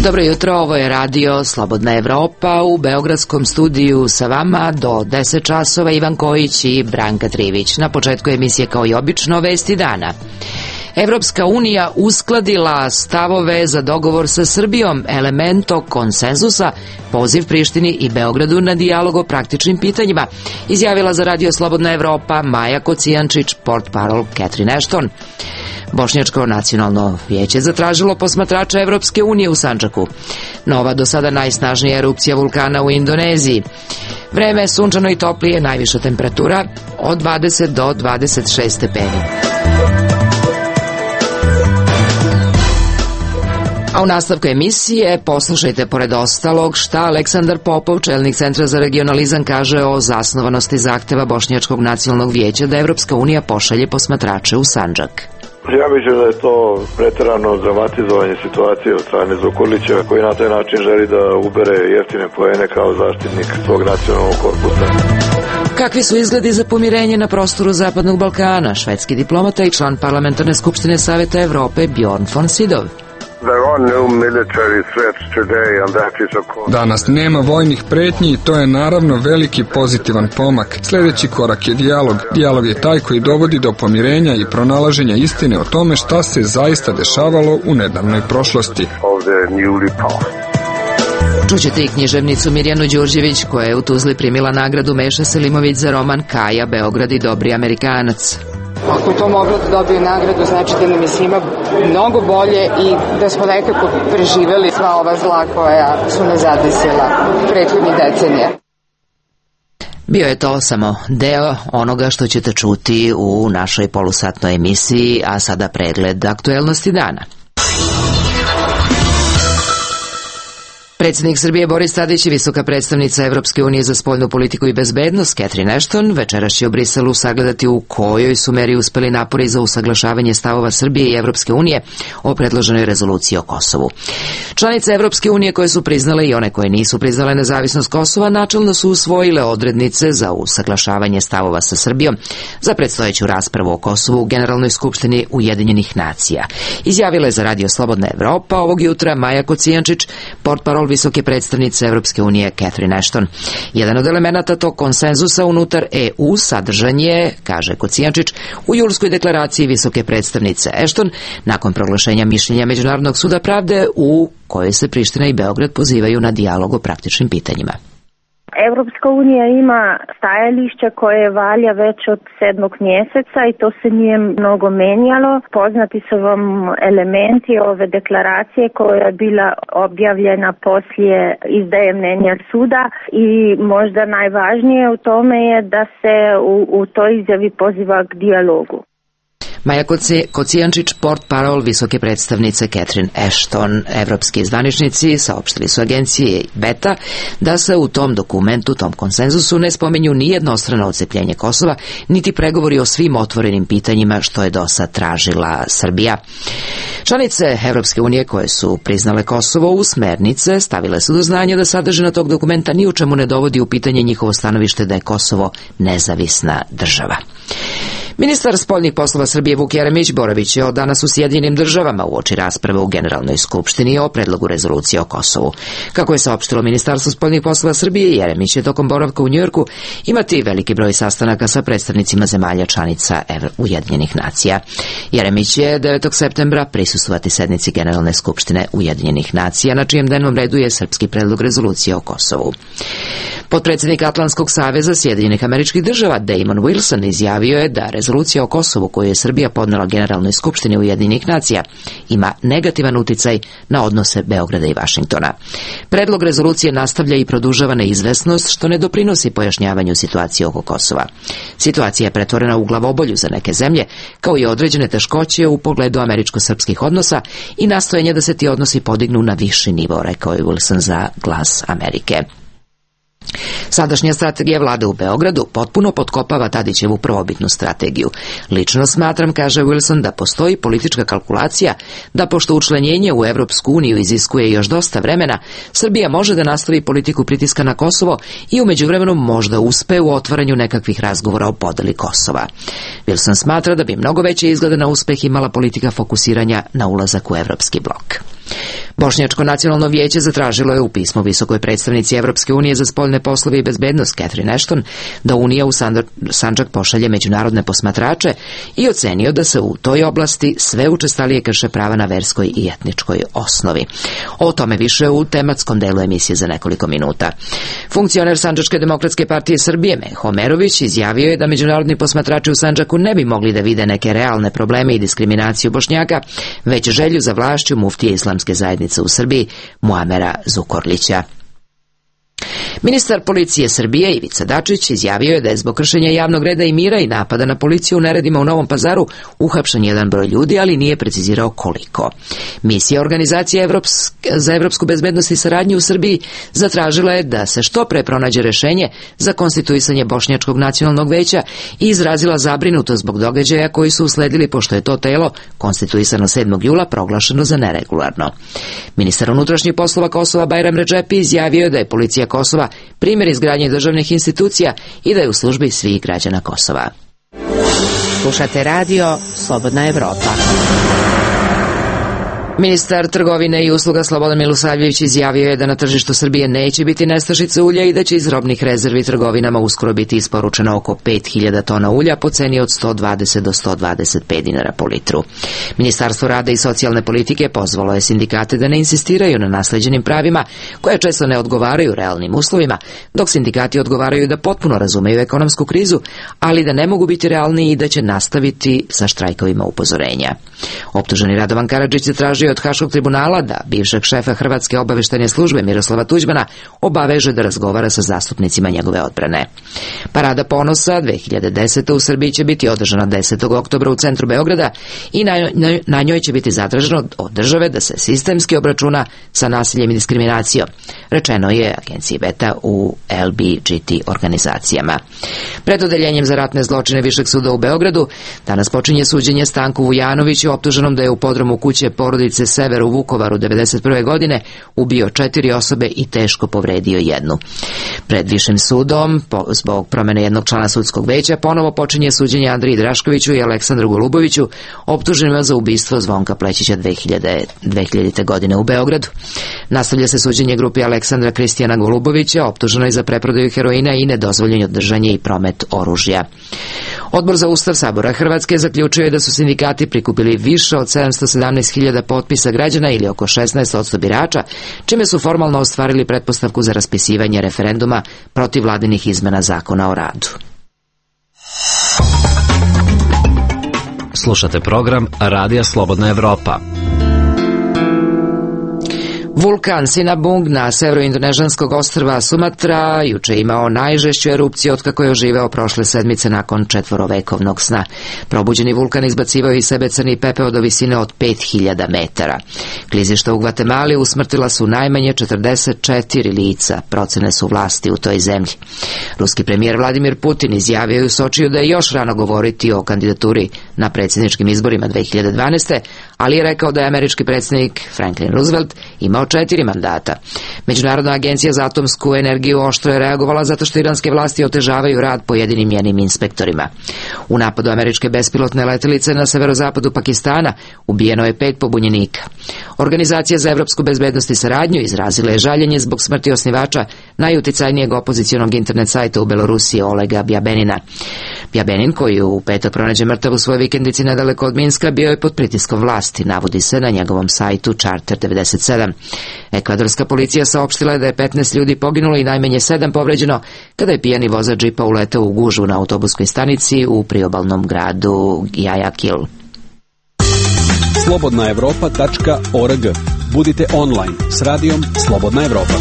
Dobro jutro, ovo je radio Slobodna Evropa. U beogradskom studiju sa vama do 10 časova Ivan Kojić i Branka Trivić. Na početku emisije kao i obično vesti dana. Evropska unija uskladila stavove za dogovor sa Srbijom, elemento konsenzusa, poziv Prištini i Beogradu na dijalog o praktičnim pitanjima, izjavila za radio Slobodna Evropa Maja Kocijančić, portparol Catherine Ashton. Bošnjačko nacionalno vijeće zatražilo posmatrača Evropske unije u Sandžaku. Nova do sada najsnažnija erupcija vulkana u Indoneziji. Vreme je sunčano i toplije, najviša temperatura od 20 do 26 stepeni. A u nastavku emisije poslušajte pored ostalog šta Aleksandar Popov, čelnik Centra za regionalizam, kaže o zasnovanosti zahteva Bošnjačkog nacionalnog vijeća da Evropska unija pošalje posmatrače u Sandžak. Ja mislim da je to preterano dramatizovanje situacije od strane Zukorlića, koji na taj način želi da ubere jeftine poene kao zaštitnik svog nacionalnog korpusa. Kakvi su izgledi za pomirenje na prostoru Zapadnog Balkana? Švedski diplomata i član Parlamentarne skupštine Saveta Evrope Bjorn von Sydow. Danas nema vojnih pretnji i to je naravno veliki pozitivan pomak. Sljedeći korak je dijalog. Dijalog je taj koji dovodi do pomirenja i pronalaženja istine o tome šta se zaista dešavalo u nedavnoj prošlosti. Čućete i književnicu Mirjanu Đurđević, koja je u Tuzli primila nagradu Meša Selimović za roman Kaja, Beograd i dobri Amerikanac. Ako to moglo da dobije nagradu, znači da nam je svima mnogo bolje i da smo nekako preživeli sva ova zla koja su nas zadesila prethodnih decenija. Bio je to samo deo onoga što ćete čuti u našoj polusatnoj emisiji, a sada pregled aktuelnosti dana. Predsjednik Srbije Boris Tadić i visoka predstavnica Evropske unije za spoljnu politiku i bezbednost Catherine Ashton večeras će u Briselu sagledati u kojoj su meri uspeli napori za usaglašavanje stavova Srbije i Evropske unije o predloženoj rezoluciji o Kosovu. Članice Evropske unije koje su priznale i one koje nisu priznale nezavisnost Kosova načelno su usvojile odrednice za usaglašavanje stavova sa Srbijom za predstojeću raspravu o Kosovu u Generalnoj skupštini Ujedinjenih nacija. Izjavila je za radio Slobodna Evropa ovog jutra Maja Kocijančić, portparol visoke predstavnice Evropske unije Catherine Ashton. Jedan od elemenata tog konsenzusa unutar EU sadržan je, kaže Kocijančić, u julskoj deklaraciji visoke predstavnice Ashton nakon proglašenja mišljenja Međunarodnog suda pravde u kojoj se Priština i Beograd pozivaju na dijalog o praktičnim pitanjima. Evropska unija ima stajališće koje valja već od 7. mjeseca i to se nije mnogo menjalo. Poznati su vam elementi ove deklaracije koja je bila objavljena poslije izdaje mnenja suda i možda najvažnije u tome je da se u toj izjavi poziva k dijalogu. Maja Kocijančić, portparol visoke predstavnice Catherine Ashton. Evropski zvaničnici saopštili su agencije Beta da se u tom dokumentu, tom konsenzusu, ne spomenju ni jednostrano odcepljenje Kosova, niti pregovori o svim otvorenim pitanjima što je dosad tražila Srbija. Članice Evropske unije koje su priznale Kosovo u smernice stavile su do znanja da sadržina tog dokumenta ni u čemu ne dovodi u pitanje njihovo stanovište da je Kosovo nezavisna država. Ministar spoljnih poslova Srbije Vuk Jeremić boravit će od danas u Sjedinjenim državama uoči rasprave u Generalnoj skupštini o predlogu rezolucije o Kosovu. Kako je saopštilo Ministarstvo spoljnih poslova Srbije, Jeremić će tokom boravka u Njujorku imati veliki broj sastanaka sa predstavnicima zemalja članica Ujedinjenih nacija. Jeremić će 9. septembra prisustvovati sednici Generalne skupštine Ujedinjenih nacija, na čijem dnevnom redu je srpski predlog rezolucije o Kosovu. Potpredsjednik Atlantskog saveza Sjedinjenih Američkih Država Damon Wilson izjavio je da rezolucija o Kosovu koju je Srbija podnela Generalnoj skupštini Ujedinjenih nacija ima negativan uticaj na odnose Beograda i Vašingtona. Predlog rezolucije nastavlja i produžava neizvesnost što ne doprinosi pojašnjavanju situacije oko Kosova. Situacija je pretvorena u glavobolju za neke zemlje, kao i određene teškoće u pogledu američko-srpskih odnosa i nastojanje da se ti odnosi podignu na viši nivo, rekao je Wilson za Glas Amerike. Sadašnja strategija vlade u Beogradu potpuno potkopava Tadićevu prvobitnu strategiju. Lično smatram, kaže Wilson, da postoji politička kalkulacija da pošto učlanjenje u Evropsku uniju iziskuje još dosta vremena, Srbija može da nastavi politiku pritiska na Kosovo i u međuvremenu možda uspe u otvaranju nekakvih razgovora o podeli Kosova. Wilson smatra da bi mnogo veće izglede na uspeh imala politika fokusiranja na ulazak u Evropski blok. Bošnjačko nacionalno vijeće zatražilo je u pismu visokoj predstavnici Evropske unije za spoljne poslove i bezbednost Catherine Ashton da Unija u Sandžak pošalje međunarodne posmatrače i ocenio da se u toj oblasti sve učestalije krše prava na verskoj i etničkoj osnovi. O tome više u tematskom delu emisije za nekoliko minuta. Funkcioner Sandžačke demokratske partije Srbije Meho Omerović izjavio je da međunarodni posmatrači u Sandžaku ne bi mogli da vide neke realne probleme i diskriminaciju Bošnjaka, već želju za vlašću muftije Islamske zajednice u Srbiji Muamera Zukorlića. Ministar policije Srbije Ivica Dačić izjavio je da je zbog kršenja javnog reda i mira i napada na policiju u neredima u Novom Pazaru uhapšen jedan broj ljudi, ali nije precizirao koliko. Misija Organizacije za evropsku bezbednost i saradnju u Srbiji zatražila je da se što pre pronađe rešenje za konstituisanje Bošnjačkog nacionalnog veća i izrazila zabrinutost zbog događaja koji su usledili pošto je to telo, konstituisano 7. jula, proglašeno za neregularno. Ministar unutrašnjih poslova Kosova Bajram Redžepi izjavio je da je policija Kosova primjer izgradnje državnih institucija i da je u službi svih građana Kosova. Slušate radio Slobodna Evropa. Ministar trgovine i usluga Slobodan Milosavljević izjavio je da na tržištu Srbije neće biti nestašice ulja i da će iz robnih rezervi trgovinama uskoro biti isporučeno oko 5000 tona ulja po ceni od 120 do 125 dinara po litru. Ministarstvo rada i socijalne politike pozvalo je sindikate da ne insistiraju na nasleđenim pravima koje često ne odgovaraju realnim uslovima, dok sindikati odgovaraju da potpuno razumeju ekonomsku krizu, ali da ne mogu biti realni i da će nastaviti sa štrajkovima upozorenja. Optuženi Radovan Karadžić je tražio od Haškog tribunala da bivšeg šefa Hrvatske obaveštajne službe Miroslava Tuđmana obaveže da razgovara sa zastupnicima njegove odbrane. Parada ponosa 2010. u Srbiji će biti održana 10. oktobra u centru Beograda i na njoj će biti zatraženo od države da se sistemski obračuna sa nasiljem i diskriminacijom, rečeno je agenciji Beta u LBGT organizacijama. Pred odeljenjem za ratne zločine Višeg suda u Beogradu danas počinje suđenje Stanku Vujanoviću, optuženom da je u podrumu kuće porodice Sever u Vukovaru 1991. godine ubio 4 osobe i teško povredio jednu. Pred Višim sudom, zbog promene jednog člana sudskog veća, ponovo počinje suđenje Andriji Draškoviću i Aleksandru Goluboviću, optuženima za ubistvo Zvonka Plećića 2000. godine u Beogradu. Nastavlja se suđenje grupi Aleksandra Kristijana Golubovića, optuženoj za preprodaju heroina i nedozvoljeno držanje i promet oružja. Odbor za Ustav Sabora Hrvatske zaključuje da su sindikati prikupili više od 717.000 potpisa građana ili oko 16% birača, čime su formalno ostvarili pretpostavku za raspisivanje referenduma protiv vladinih izmena zakona o radu. Slušate program Radija Slobodna Evropa. Vulkan Sinabung na severoindonežanskog ostrva Sumatra juče imao najžešću erupciju otkako je oživeo prošle sedmice nakon 4-vekovnog sna. Probuđeni vulkan izbacivao iz sebe crni pepeo do visine od 5000 metara. Klizišta u Gvatemali usmrtila su najmanje 44 lica, procene su vlasti u toj zemlji. Ruski premijer Vladimir Putin izjavio je u Sočiju da je još rano govoriti o kandidaturi na predsjedničkim izborima 2012. ali je rekao da je američki predsjednik Franklin Roosevelt imao 4 mandata. Međunarodna agencija za atomsku energiju oštro je reagovala zato što iranske vlasti otežavaju rad pojedinim njenim inspektorima. U napadu američke bespilotne letelice na severozapadu Pakistana ubijeno je 5 pobunjenika. Organizacija za evropsku bezbednost i saradnju izrazila je žaljenje zbog smrti osnivača najuticajnijeg opozicionog internet sajta u Belorusiji Olega Bjabenina. Bjabenin, koji je u petak pronađen mrtav u svojoj vikendici nedaleko od Minska, bio je pod pritiskom vlasti, navodi se na njegovom sajtu Charter 97. Ekvadorska policija saopštila je da je 15 ljudi poginulo i najmanje 7 povređeno kada je pijani vozač džipa uleteo u gužvu na autobuskoj stanici u priobalnom gradu Guayaquil. slobodnaevropa.org. Budite online s radijom Slobodna Evropa.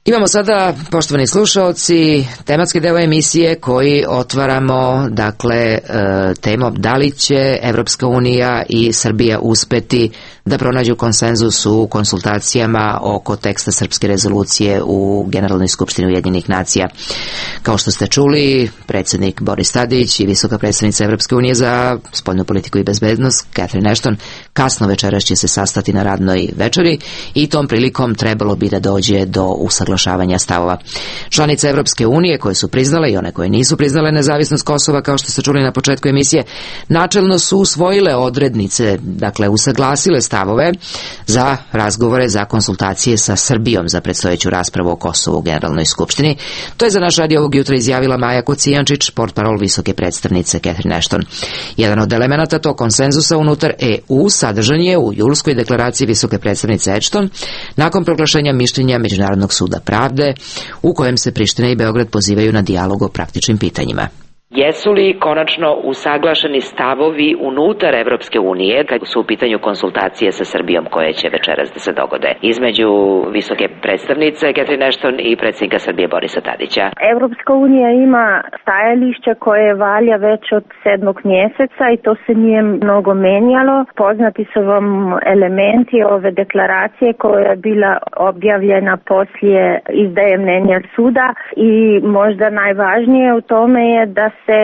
Imamo sada, poštovani slušaoci, tematski deo emisije koji otvaramo, dakle, temom da li će Evropska unija i Srbija uspeti da pronađu konsenzus u konsultacijama oko teksta srpske rezolucije u Generalnoj skupštini Ujedinjenih nacija. Kao što ste čuli, predsjednik Boris Tadić i visoka predstavnica Evropske unije za spoljnu politiku i bezbednost Catherine Ashton kasno večeras će se sastati na radnoj večeri i tom prilikom trebalo bi da dođe do usaglašavanja usaglašavanja stavova. Članice Evropske unije koje su priznale i one koje nisu priznale nezavisnost Kosova, kao što ste čuli na početku emisije, načelno su usvojile odrednice, dakle usaglasile stavove za razgovore, za konsultacije sa Srbijom za predstojeću raspravu o Kosovu u Generalnoj skupštini. To je za naš radio ovog jutra izjavila Maja Kocijančić, portparol visoke predstavnice Catherine Ashton. Jedan od elemenata tog konsenzusa unutar EU sadržan je u julskoj deklaraciji visoke predstavnice Ashton nakon proglašenja mišljenja Međunarodnog suda pravde, u kojem se Priština i Beograd pozivaju na dijalog o praktičnim pitanjima. Jesu li konačno usaglašeni stavovi unutar Evropske unije kad su u pitanju konsultacije sa Srbijom koje će večeras da se dogode između visoke predstavnice Catherine Ashton i predsjednika Srbije Borisa Tadića? Evropska unija ima stajalište koje valja već od 7. mjeseca i to se nije mnogo menjalo. Poznati su vam elementi ove deklaracije koja je bila objavljena poslije izdaje mnenja suda i možda najvažnije u tome je da se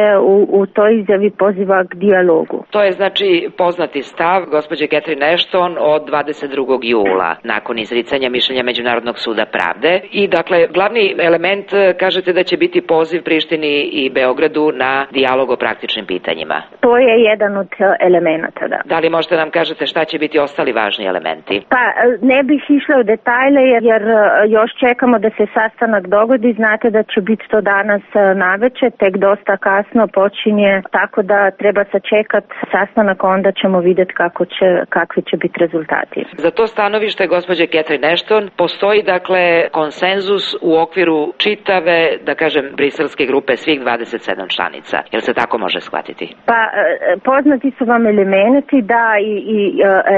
u toj izjavi poziva k dijalogu. To je znači poznati stav gospođe Catherine Ashton od 22. jula nakon izricanja mišljenja Međunarodnog suda pravde i dakle glavni element kažete da će biti poziv Prištini i Beogradu na dijalog o praktičnim pitanjima. To je jedan od elemenata, da. Da li možete nam kažete šta će biti ostali važni elementi? Pa ne bih išla u detalje jer još čekamo da se sastanak dogodi. Znate da će biti to danas navečer, tek dosta kasno počinje, tako da treba sačekati sastanak, onda ćemo vidjeti kakvi će biti rezultati. Za to stanovište gospođe Catherine Ashton postoji dakle konsenzus u okviru čitave, da kažem, briselske grupe svih 27 članica. Jel se tako može shvatiti? Pa poznati su vam elementi da i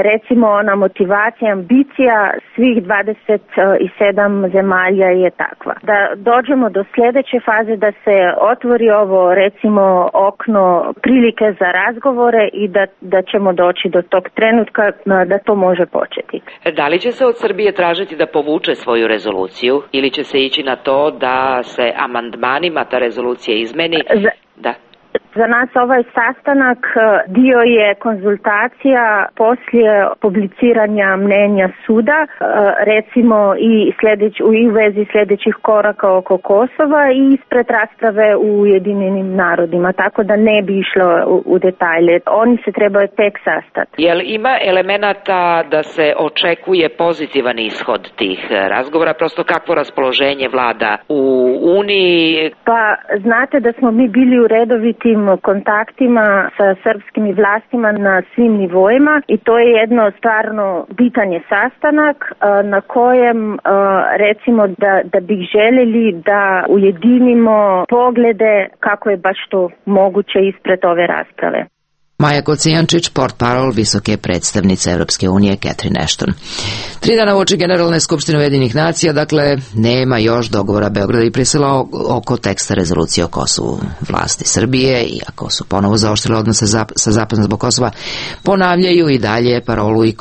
recimo ona motivacija, ambicija svih 27 zemalja je takva. Da dođemo do sljedeće faze, da se otvori ovo recimo okno prilike za razgovore i da ćemo doći do tog trenutka da to može početi. Da li će se od Srbije tražiti da povuče svoju rezoluciju ili će se ići na to da se amandmanima ta rezolucija izmeni? Da. Za nas ovaj sastanak dio je konzultacija poslije publiciranja mnenja suda, recimo i u vezi sljedećih koraka oko Kosova i ispred rasprave u Ujedinjenim narodima, tako da ne bi išlo u detalje. Oni se trebaju tek sastati. Jel ima elemenata da se očekuje pozitivan ishod tih razgovora, prosto kakvo raspoloženje vlada u Uniji? Pa znate da smo mi bili u redovitim kontaktima sa srpskim vlastima na svim nivoima i to je jedno stvarno bitan je sastanak na kojem recimo da bih željeli da ujedinimo poglede kako je baš to moguće ispred ove rasprave. Maja Kocijančić, portparol visoke predstavnice Evropske unije Catherine Ashton. 3 dana uoči Generalne skupštine Ujedinjenih nacija, dakle, nema još dogovora Beograda i Brisela oko teksta rezolucije o Kosovu. Vlasti Srbije, iako su ponovo zaoštrile odnose sa Zapadom zbog Kosova, ponavljaju i dalje parolu i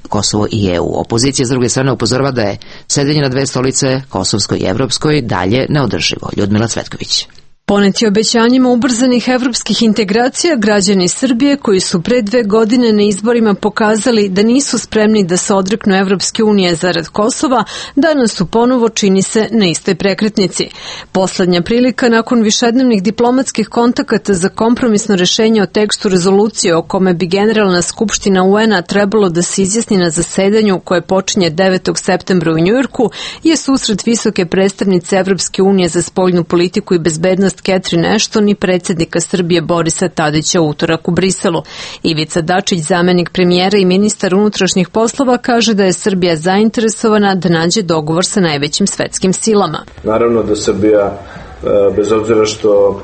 Kosovo i EU. Opozicija s druge strane upozorava da je sedenje na 2 stolice, kosovskoj i evropskoj, dalje neodrživo. Ljudmila Cvetković. Poneti obećanjima ubrzanih evropskih integracija, građani Srbije koji su pre 2 godine na izborima pokazali da nisu spremni da se odreknu Evropske unije zarad Kosova, danas su ponovo, čini se, na istoj prekretnici. Poslednja prilika nakon višednevnih diplomatskih kontakata za kompromisno rešenje o tekstu rezolucije o kome bi Generalna skupština UN-a trebalo da se izjasni na zasedanju koje počinje 9. septembra u Njujorku je susret visoke predstavnice Evropske unije za spoljnu politiku i bezbednost Catherine Ashton i predsjednika Srbije Borisa Tadića u utorak u Briselu. Ivica Dačić, zamenik premijera i ministar unutrašnjih poslova, kaže da je Srbija zainteresovana da nađe dogovor sa najvećim svetskim silama. Naravno da Srbija, bez obzira što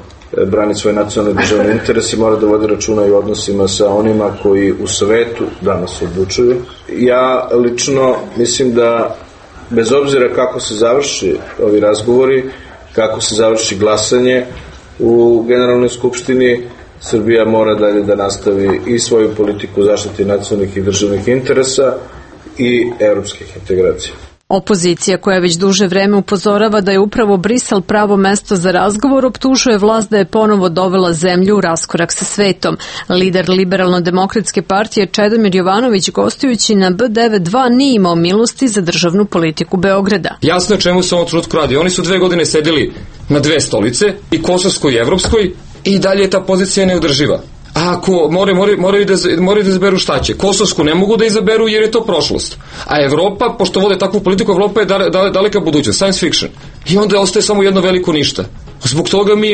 brani svoj nacionalni državni interes, mora da vodi računa i odnosima sa onima koji u svetu danas odlučuju. Ja lično mislim da bez obzira kako se završi ovi razgovori, kako se završi glasanje u Generalnoj skupštini, Srbija mora dalje da nastavi i svoju politiku zaštite nacionalnih i državnih interesa i evropskih integracija. Opozicija, koja već duže vreme upozorava da je upravo Brisel pravo mesto za razgovor, optužuje vlast da je ponovo dovela zemlju u raskorak sa svetom. Lider Liberalno-demokratske partije Čedomir Jovanović, gostujući na B92, nije imao milosti za državnu politiku Beograda. Jasno je čemu se ovom trenutku radi. Oni su 2 godine sedeli na 2 stolice, i kosovskoj i evropskoj, i dalje je ta pozicija neodrživa. A ako moraju da izaberu šta će? Kosovsku ne mogu da izaberu jer je to prošlost. A Evropa, pošto vode takvu politiku, Evropa je daleka budućnost, science fiction. I onda ostaje samo jedno veliko ništa. Zbog toga mi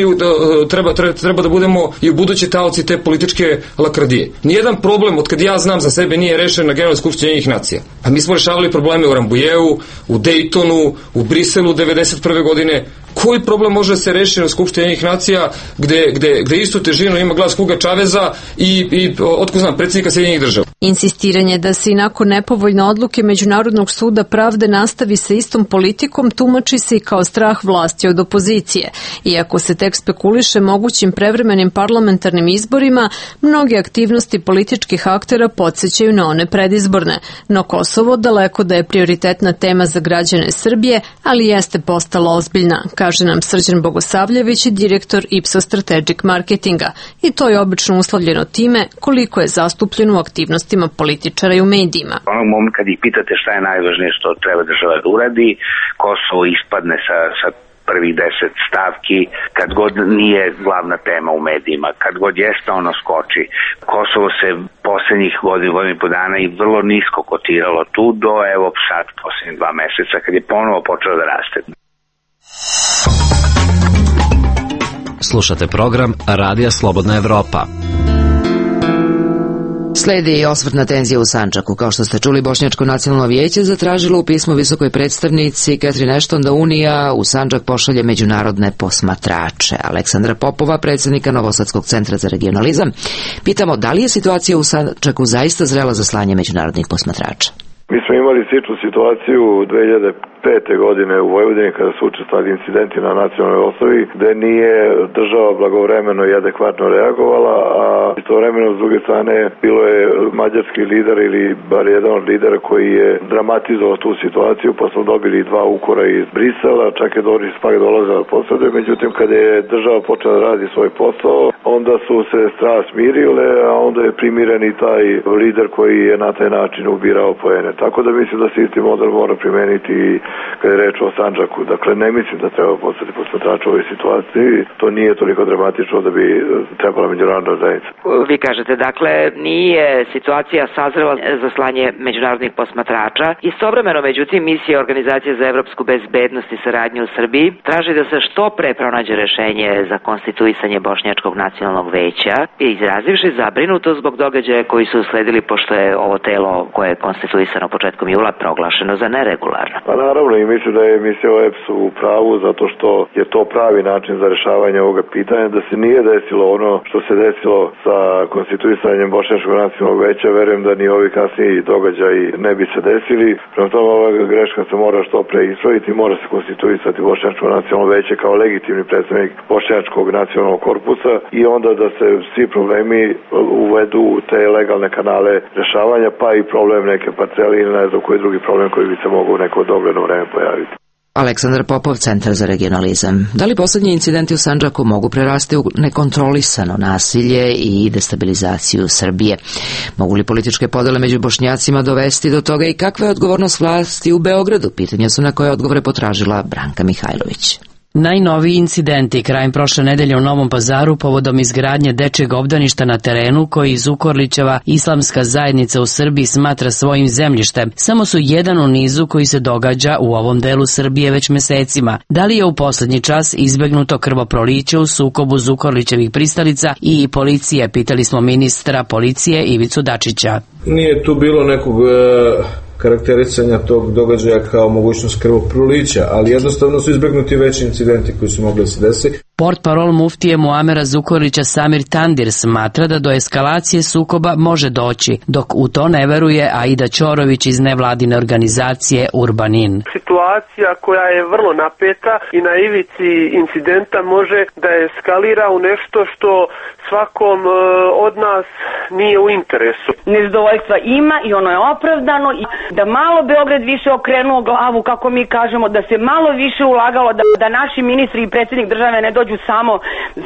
treba da budemo i u buduće taoci te političke lakrdije. Nijedan problem, od kad ja znam za sebe, nije rešen na Generalnoj skupštini Ujedinjenih nacija. A mi smo rešavali probleme u Rambujeu, u Dejtonu, u Briselu 1991. godine. Koji problem može da se reši na Skupštini Ujedinjenih nacija gde istu težinu ima glas Huga Čaveza i otko znam, predsjednika Sjedinjenih država? Insistiranje da se i nakon nepovoljne odluke Međunarodnog suda pravde nastavi sa istom politikom tumači se i kao strah vlasti od opozicije. Iako se tek spekuliše mogućim prevremenim parlamentarnim izborima, mnoge aktivnosti političkih aktera podsjećaju na one predizborne. No Kosovo daleko da je prioritetna tema za građane Srbije, ali jeste postala ozbiljna, kaže nam Srđan Bogosavljević, direktor Ipsos Strategic Marketinga. I to je obično uslovljeno time koliko je zastupljeno u aktivnostima političara i u medijima. Onog momenta kad ih pitate šta je najvažnije što treba država da uradi, Kosovo ispadne sa prvih 10 stavki, kad god nije glavna tema u medijima, kad god jeste ono skoči. Kosovo se poslednjih godina i po dana i vrlo nisko kotiralo tu do evo sad poslednjih 2 meseca kad je ponovo počelo da raste. Slušate program Radija Slobodna Evropa. Sledi i osvrtna tenzija u Sandžaku. Kao što ste čuli, Bošnjačko nacionalno vijeće zatražilo u pismu visokoj predstavnici Catherine Ashton da Unija u Sandžak pošalje međunarodne posmatrače. Aleksandra Popova, predsjednika Novosadskog centra za regionalizam, pitamo da li je situacija u Sandžaku zaista zrela za slanje međunarodnih posmatrača. Mi smo imali sličnu situaciju 2005. godine u Vojvodini kada su učestvovali incidenti na nacionalnoj osnovi gde nije država blagovremeno i adekvatno reagovala, a istovremeno s druge strane bilo je mađarski lider ili bar jedan od lidera koji je dramatizovao tu situaciju, pa smo dobili 2 ukora iz Brisela, čak je Doris Pak dolazila posade. Međutim, kada je država počela da radi svoj posao, onda su se strasti smirile, a onda je primiren i taj lider koji je na taj način ubirao poene. Tako da mislim da se isti model mora primeniti kada je reč o Sandžaku. Dakle, ne mislim da treba postati posmatrač u ovoj situaciji. To nije toliko dramatično da bi trebala međunarodna zajednica. Vi kažete, dakle, nije situacija sazrela za slanje međunarodnih posmatrača. Istovremeno, međutim, misija Organizacije za evropsku bezbednost i saradnju u Srbiji traži da se što pre pronađe rešenje za konstituisanje Bošnjačkog nacionalnog veća, izrazivši zabrinutost zbog događaja koji su usledili pošto je ovo telo koje je konstituisano početkom jula proglašeno za neregularno. Pa naravno, i mislim da je misija OEBS u pravu zato što je to pravi način za rešavanje ovoga pitanja, da se nije desilo ono što se desilo sa konstituisanjem Bošnjačkog nacionalnog veća, verujem da ni ovi kasniji događaji ne bi se desili. Prema tome, ova greška se mora što pre ispraviti, mora se konstituisati Bošnjačko nacionalno veće kao legitimni predstavnik Bošnjačkog nacionalnog korpusa i onda da se svi problemi uvedu u te legalne kanale rešavanja, pa i problem neke parcele ili ne znam koji drugi problem koji bi se mogao u neko dogledno vreme pojaviti. Aleksandar Popov, Centar za regionalizam. Da li poslednji incidenti u Sandžaku mogu prerasti u nekontrolisano nasilje i destabilizaciju Srbije? Mogu li političke podele među Bošnjacima dovesti do toga i kakva je odgovornost vlasti u Beogradu? Pitanja su na koje odgovore potražila Branka Mihajlović. Najnoviji incidenti krajem prošle nedelje u Novom Pazaru povodom izgradnje dečjeg obdaništa na terenu koji Zukorlićeva islamska zajednica u Srbiji smatra svojim zemljištem samo su jedan u nizu koji se događa u ovom delu Srbije već mesecima. Da li je u poslednji čas izbegnuto krvoproliće u sukobu Zukorlićevih pristalica i policije, pitali smo ministra policije Ivicu Dačića. Nije tu bilo nekog karakterisanja tog događaja kao mogućnost krvoprolića, ali jednostavno su izbegnuti veći incidenti koji su mogli da se desi. Portparol muftije Muamera Zukorlića Samir Tandir smatra da do eskalacije sukoba može doći, dok u to ne veruje Aida Ćorović iz nevladine organizacije Urbanin. Situacija koja je vrlo napeta i na ivici incidenta može da eskalira u nešto što svakom od nas nije u interesu. Nezadovoljstva ima i ono je opravdano i da malo Beograd više okrenuo glavu, kako mi kažemo, da se malo više ulagalo, da naši ministri i predsjednik države ne dođu samo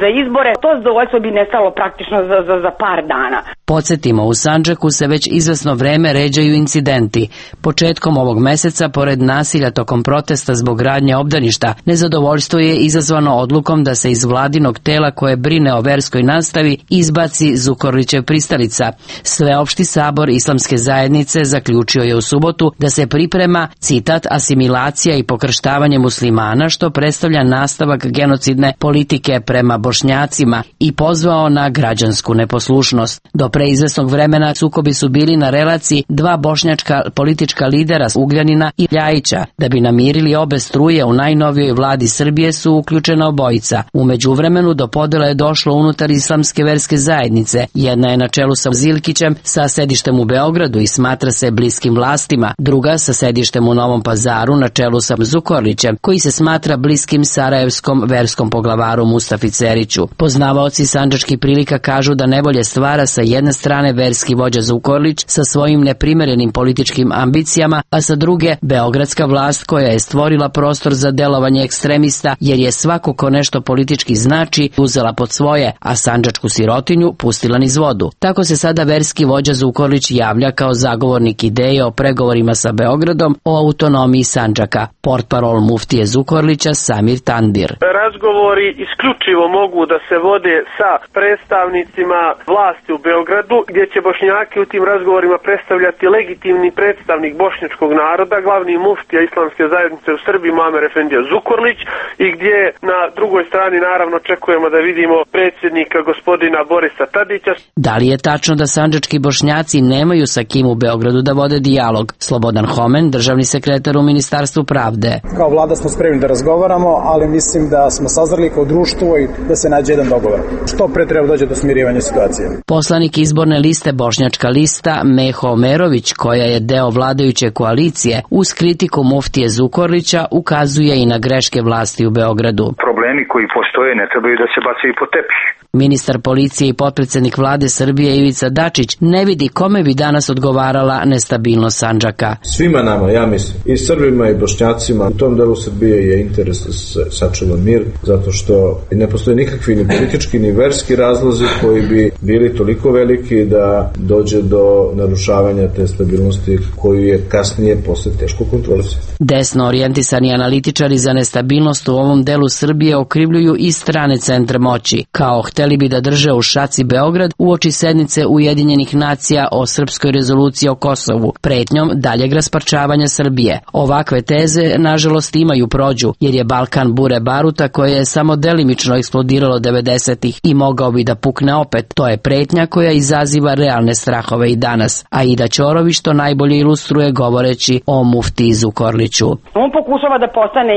za izbore, to zadovoljstvo bi nestalo praktično za par dana. Podsjetimo, u Sandžaku se već izvesno vreme ređaju incidenti. Početkom ovog meseca, pored nasilja tokom protesta zbog gradnje obdaništa, nezadovoljstvo je izazvano odlukom da se iz vladinog tela koje brine o verskoj nastavi izbaci Zukorlićev pristalica. Sveopšti sabor Islamske zajednice zaključio je u subotu da se priprema, citat, asimilacija i pokrštavanje muslimana, što predstavlja nastavak genocidne politike prema Bošnjacima, i pozvao na građansku neposlušnost. Do pre izvesnog vremena sukobi su bili na relaciji dva bošnjačka politička lidera Ugljanina i Ljajića. Da bi namirili obe struje, u najnovijoj vladi Srbije su uključena obojica. U međuvremenu do podela je došlo unutar Islamske verske zajednice. Jedna je na čelu sa Zilkićem sa sedištem u Beogradu i smatra se bliskim vlastima, druga sa sedištem u Novom Pazaru na čelu sa Zukorlićem, koji se smatra bliskim sarajevskom verskom poglavaru Mustafi Ceriću. Poznavaoci sandžačkih prilika kažu da nevolje stvara sa jedne strane verski vođa Zukorlić sa svojim neprimerenim političkim ambicijama, a sa druge beogradska vlast koja je stvorila prostor za delovanje ekstremista, jer je svako ko nešto politički znači uzela pod svoje, a sandžačku sirotinju pustila niz vodu. Tako se sada verski vođa Zukorlić javlja kao zagovornik ideje o pregovorima sa Beogradom o autonomiji Sandžaka. Portparol muftije Zukorlića Samir Tandir. Razgovori isključivo mogu da se vode sa predstavnicima vlasti u Beogradu, gdje će Bošnjaki u tim razgovorima predstavljati legitimni predstavnik bošnjačkog naroda, glavni muftija Islamske zajednice u Srbiji Muamer Efendija Zukorlić, i gdje na drugoj strani naravno očekujemo da vidimo predsjednika gospodina Borisa Tadića. Da li je tačno da sandžački Bošnjaci nemaju sa kim u Beogradu da vode dijalog? Slobodan Homen, državni sekretar u Ministarstvu pravde. Kao vlada smo spremni da razgovaramo, ali mislim da smo sazreli kao društvo i da se nađe jedan dogovor. Što pre treba dođe do smirivanja situacije. Poslanik izborne liste Bošnjačka lista Meho Omerović, koja je deo vladajuće koalicije, uz kritiku muftije Zukorlića ukazuje i na greške vlasti u Beogradu. Problemi koji postoje ne trebaju da se bacaju pod tepih. Ministar policije i potpredsednik vlade Srbije Ivica Dačić ne vidi kome bi danas odgovarala nestabilnost Sandžaka. Svima nama, ja mislim, i Srbima i Bošnjacima, u tom delu Srbije je interes da se sačuva mir, zato što ne postoje nikakvi ni politički ni verski razlozi koji bi bili toliko veliki da dođe do narušavanja te stabilnosti koju je kasnije posle teško kontrolisati. Desno orijentisani analitičari za nestabilnost u ovom delu Srbije okrivljuju i strane centre moći. Kao hteli bi da drže u šaci Beograd uoči sednice Ujedinjenih nacija o srpskoj rezoluciji o Kosovu, pretnjom daljeg rasparčavanja Srbije. Ovakve teze, nažalost, imaju prođu, jer je Balkan bure baruta koje je samo delimično eksplodiralo 90-ih i mogao bi da pukne opet. To je pretnja koja izaziva realne strahove i danas. Aida Ćorović to najbolje ilustruje govoreći o muftiji Zukorliću. On pokušava da postane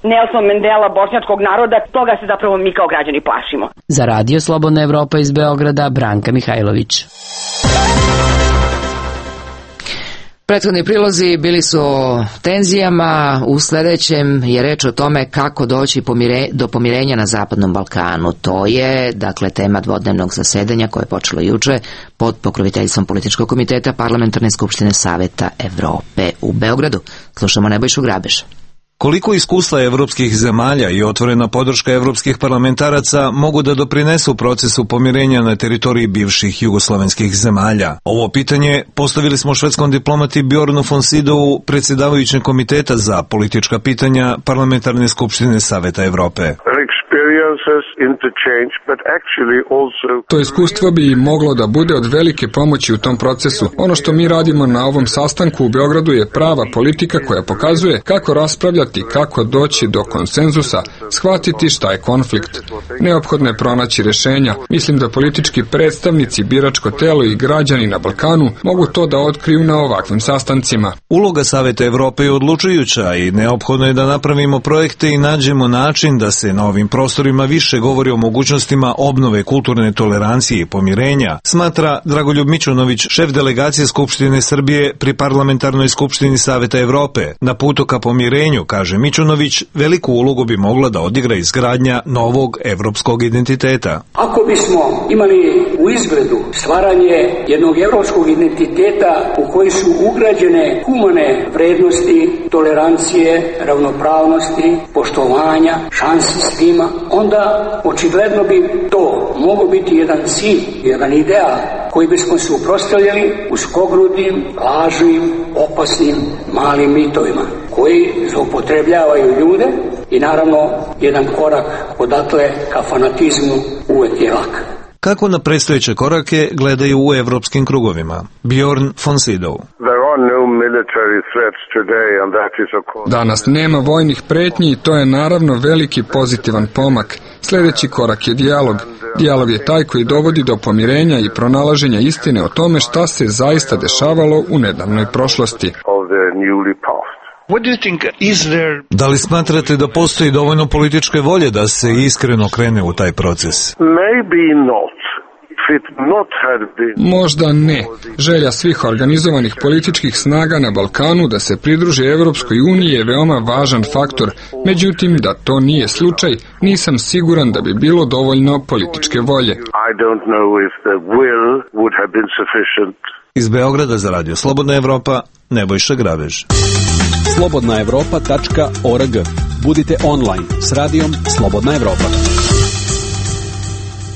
Nelson Mandela bošnjačkog naroda, toga se zapravo mi kao građani plašimo. Za Radio Slobodna Evropa iz Beograda, Branka Mihajlović. Prethodni prilozi bili su o tenzijama, u sledećem je reč o tome kako doći do pomirenja na Zapadnom Balkanu. To je, dakle, tema dvodnevnog zasedanja koje je počelo juče pod pokroviteljstvom Političkog komiteta Parlamentarne skupštine Saveta Evrope u Beogradu. Slušamo Nebojšu Grabeša. Koliko iskustva evropskih zemalja i otvorena podrška evropskih parlamentaraca mogu da doprinesu procesu pomirenja na teritoriji bivših jugoslovenskih zemalja? Ovo pitanje postavili smo švedskom diplomati Bjornu von Sydowu, predsjedavajućeg komiteta za politička pitanja Parlamentarne skupštine Saveta Evrope. To iskustvo bi moglo da bude od velike pomoći u tom procesu. Ono što mi radimo na ovom sastanku u Beogradu je prava politika koja pokazuje kako raspravljati, kako doći do konsenzusa, shvatiti šta je konflikt. Neophodno je pronaći rešenja. Mislim da politički predstavnici, biračko telo i građani na Balkanu mogu to da otkriju na ovakvim sastancima. Uloga Saveta Evrope je odlučujuća i neophodno je da napravimo projekte i nađemo način da se na ovim prostorima više govori govori o mogućnostima obnove kulturne tolerancije i pomirenja, smatra Dragoljub Mićunović, šef delegacije Skupštine Srbije pri Parlamentarnoj skupštini Saveta Evrope. Na putu ka pomirenju, kaže Mićunović, veliku ulogu bi mogla da odigra izgradnja novog evropskog identiteta. Ako bismo imali u izgledu stvaranje jednog evropskog identiteta u koji su ugrađene humane vrednosti, tolerancije, ravnopravnosti, poštovanja, šansi svima, onda očigledno bi to moglo biti jedan cilj, jedan ideal koji bismo se uprostavljali uskogrudim, lažnim, opasnim, malim mitovima koji zloupotrebljavaju ljude i naravno jedan korak odatle ka fanatizmu uvek je lak. Kako na predstojeće korake gledaju u evropskim krugovima? Bjorn von Sydow. Danas nema vojnih pretnji i to je naravno veliki pozitivan pomak. Sljedeći korak je dijalog. Dijalog je taj koji dovodi do pomirenja i pronalaženja istine o tome šta se zaista dešavalo u nedavnoj prošlosti. Da li smatrate da postoji dovoljno političke volje da se iskreno krene u taj proces? Možda ne. Želja svih organizovanih političkih snaga na Balkanu da se pridruže Evropskoj uniji je veoma važan faktor. Međutim, da to nije slučaj, nisam siguran da bi bilo dovoljno političke volje. Iz Beograda za Radio Slobodna Evropa, Nebojša Grabež. slobodnaevropa.org. Budite online s radijom Slobodna Evropa.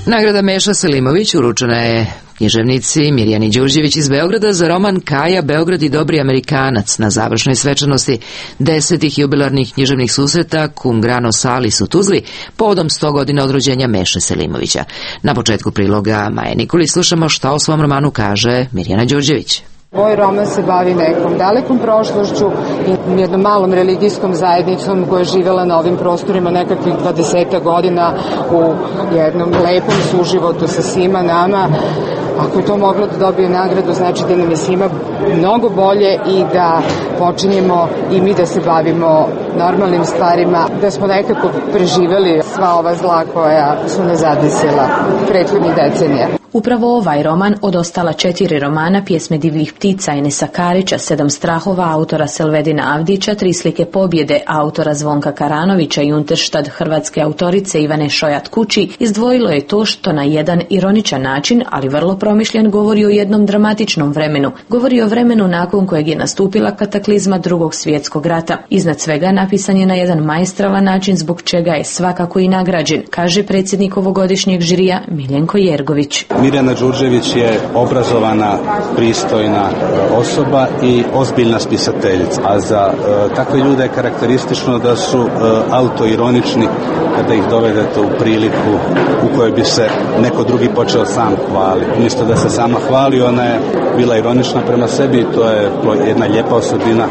Nagrada Meša Selimović uručena je književnici Mirjani Đurđević iz Beograda za roman Kaja, Beograd i dobri Amerikanac na završnoj svečanosti 10. jubilarnih književnih susreta Cum Grano Salis u Tuzli povodom 100 godina od rođenja Meše Selimovića. Na početku priloga Maje Nikolić slušamo šta o svom romanu kaže Mirjana Đurđević. Moj roman se bavi nekom dalekom prošlošću i jednom malom religijskom zajednicom koja je živjela na ovim prostorima nekakvih 20 godina u jednom lepom suživotu sa svima nama. Ako je to moglo da dobije nagradu, znači da nam je svima mnogo bolje i da počinjemo i mi da se bavimo normalnim stvarima, da smo nekako preživeli sva ova zla koja su nas zadesila prethodnih decenija. Upravo ovaj roman od ostala 4 romana, Pjesme divljih ptica Enesa Karića, 7 strahova autora Selvedina Avdića, 3 slike pobjede autora Zvonka Karanovića i Unterštad hrvatske autorice Ivane Šojat Kući izdvojilo je to što na jedan ironičan način, ali vrlo promišljen, govori o jednom dramatičnom vremenu. Govori o vremenu nakon kojeg je nastupila kataklizma Drugog svjetskog rata. Iznad svega napisan je na jedan maestralan način zbog čega je svakako i nagrađen, kaže predsjednik ovogodišnjeg žirija Miljenko Jergović. Mirjana Đurđević je obrazovana, pristojna osoba i ozbiljna spisateljica. A za takve ljude je karakteristično da su autoironični kada ih dovedete u priliku u kojoj bi se neko drugi počeo sam hvaliti. Umjesto da se sama hvali, ona je bila ironična prema sebi i to je jedna lijepa osobina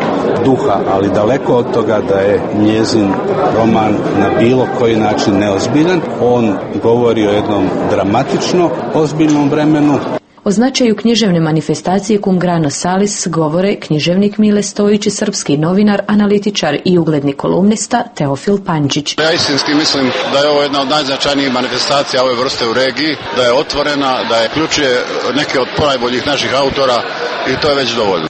duha, ali daleko od toga da je njezin roman na bilo koji način neozbiljan. On govori o jednom dramatično ozbiljnom vremenu. O značaju književne manifestacije Cum Grano Salis govore književnik Mile Stojić i srpski novinar, analitičar i ugledni kolumnista Teofil Pančić. Ja istinski mislim da je ovo jedna od najznačajnijih manifestacija ove vrste u regiji, da je otvorena, da je ključuje neke od najboljih naših autora i to je već dovoljno.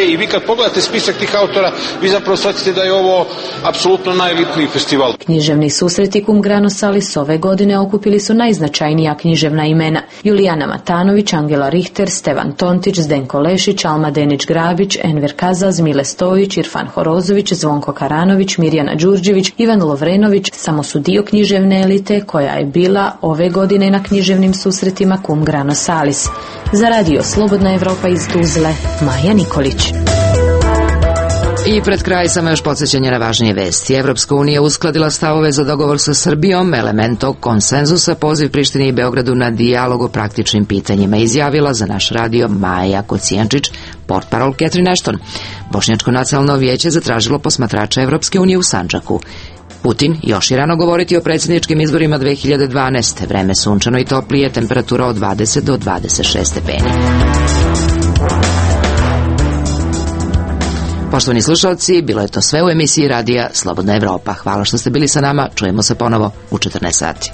I vi kad pogledate spisak tih autora, vi zapravo shvatite da je ovo apsolutno najelitniji festival. Književni susreti Cum Grano Salis ove godine okupili su najznačajnija književna imena: Julijana Matanović, Angela Richter, Stevan Tontić, Zdenko Lešić, Alma Denić-Grabić, Enver Kazaz, Mile Stojić, Irfan Horozović, Zvonko Karanović, Mirjana Đurđević, Ivan Lovrenović samo su dio književne elite koja je bila ove godine na književnim susretima Cum Grano Salis. Za radio Slobodna Evropa iz Tuzle, Maja Nikolić. I pred kraj samo još podsjećanje na važnije vesti. Evropska unija uskladila stavove za dogovor sa Srbijom, element tog konsenzusa, poziv Prištini i Beogradu na dijalog o praktičnim pitanjima, izjavila za naš radio Maja Kocijančić, portparol Catherine Ashton. Bošnjačko nacionalno vijeće zatražilo posmatrača Evropske unije u Sandžaku. Putin još je rano govoriti o predsjedničkim izborima 2012. Vreme sunčano i toplije, temperatura od 20 do 26 stepeni. Poštovani slušalci, bilo je to sve u emisiji radija Slobodna Evropa. Hvala što ste bili sa nama, čujemo se ponovo u 14 sati.